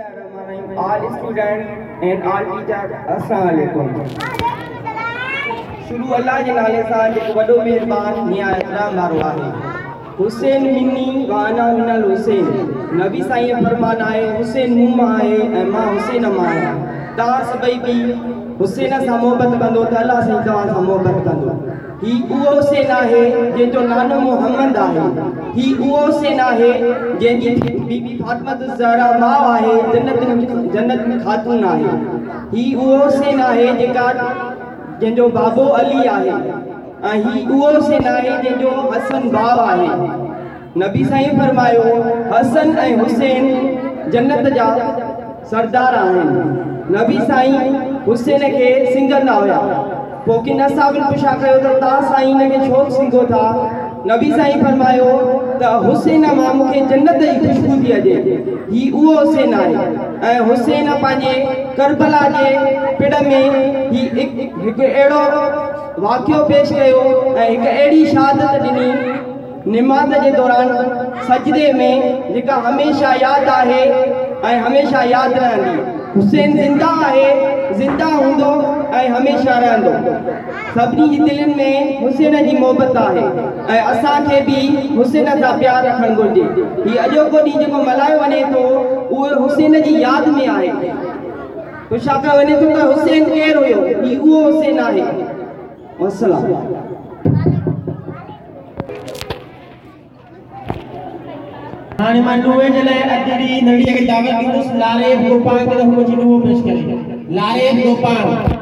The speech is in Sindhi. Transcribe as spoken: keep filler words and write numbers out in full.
All student and all teacher, السلام عليڪم. شروع الله جي نالي سان جيڪو وڏو مهربان نهايت رحم وارو آهي. حسين مني وانا من الحسين. نبي سائين فرمان آهي، حسين مون مان آهي ۽ مان حسين مان آهيان. توهان سڀئي به حسين سان محبت ڪندو ته الله سائين توهان سان محبت ڪندو. هي اهو حسين آهي جنهن جو نانو محمد آهي. هي اهو حسين آهي جنهن جي بيبي فاطمه الزهرا ماء آهي، جنت جنت خاتون آهي. هي اهو حسين آهي جيڪا جنهن جو بابو علي آهي، ۽ هي اهو حسين آهي جنهن جو حسن ڀاء آهي. نبي سائين فرمايو، حسن ۽ حسين جنت جا سردار آهن. نبي سائين حسين کي سنگهندا هيا. پوءِ ڪن اصحابن پڇا ڪيو ته توهان سائين هن کي ڇو سنگهو ٿا؟ نبي سائين فرمايو ته حسين مان مون کي جنت جي خوشبو ٿي اچي. هي اهو حسين آهي، ۽ حسين پنهنجي ڪربلا جي پڙ ۾ هي هڪ اهڙو واقعو پيش ڪيو ۽ هڪ اهڙي شهادت ڏني نماز جي دوران سجدي ۾، جيڪا هميشه ياد آهي ۽ هميشه ياد رهندي. حسين زنده آهي، زنده هوندو ۽ هميشه رهندو. سڀني جي دلين ۾ حسين جي محبت آهي ۽ اسان کي به حسين سان پيار رکڻ گهرجي. هي اڄوڪو ڏينهن جيڪو ملهايو وڃي ٿو، اهو حسين جي ياد ۾ آهي. پڇا ڪيو وڃي ٿو ته حسين ڪير هيو؟ هي اهو حسين آهي. والسلام. هاڻي مان نوحي جي لاءِ ادڙي ننڍيءَ کي دعوت ڏيندس، لاريب گوپانگ کي، ته هو اچي نوحو پيش ڪري. لاريب گوپانگ.